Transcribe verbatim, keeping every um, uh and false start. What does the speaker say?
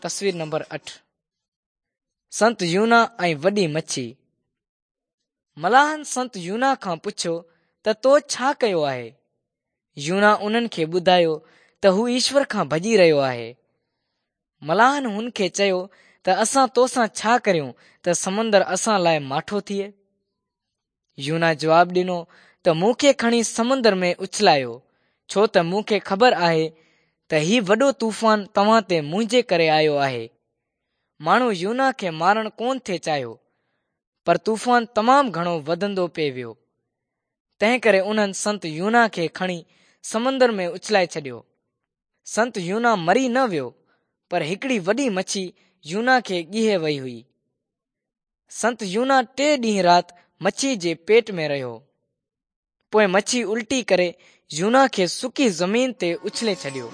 تصوير نمبر اٺ، سنت يونا ۽ وڏي مڇي. ملاحن سنت يونا کان پڇيو ته تو ڇا ڪيو آهي؟ يونا انهن کي ٻڌايو ته هو ايشور کان ڀڄي رهيو آهي. ملاحن هن کي چيو ته اسان تو سان ڇا ڪريون ته سمندر اسان لاءِ ماٺو ٿئي؟ يونا جواب ڏنو ته مون کي کڻي سمندر ۾ اڇلايو، ڇو ته مون کي خبر آهي ته هي وڏو طوفان توهان تي منهنجي ڪري آيو آهي. ماڻهو يونا کي مارڻ ڪونه ٿي چاهيو، پر طوفان تمام گهڻو وڌندو پئي ويو. تنهن ڪري انهن سنت يونا کي کڻي سمندر ۾ اڇلائي ڇڏيو. سنت يونا مري نه ويو، پر هڪڙي وڏي مڇي يونا کي ڳيهي وئي هئي. سنت يونا ٽي ڏينهن رات مڇي جي پيٽ ۾ رهيو. پوءِ مڇي الٽي ڪري يونا کي سڪي زمين تي اڇلي ڇڏيو.